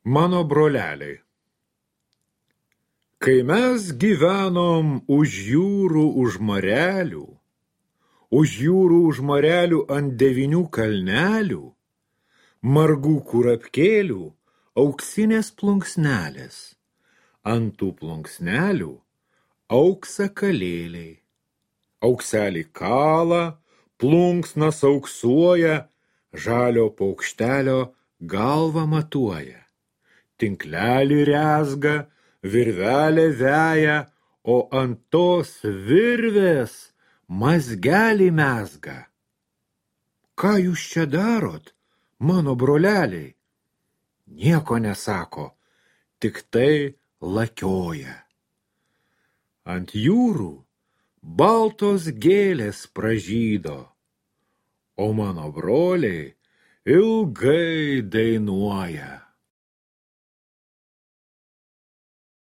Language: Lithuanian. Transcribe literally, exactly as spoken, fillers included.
Mano broleliai. Kai mes gyvenom už jūrų, už marelių, už jūrų, už marelių ant devinių kalnelių, margų kurapkėlių, auksinės plunksnelės, ant tų plunksnelių auksakalėliai. Aukselį kala, plunksnas auksuoja, žalio paukštelio galvą matuoja. Tinklelį rezga, virvelę veja, o ant tos virvės mazgelį mezga. Ką jūs čia darot, mano broleliai? Nieko nesako, tik tai lakioja. Ant jūrų baltos gėlės pražydo, o mano broliai ilgai dainuoja.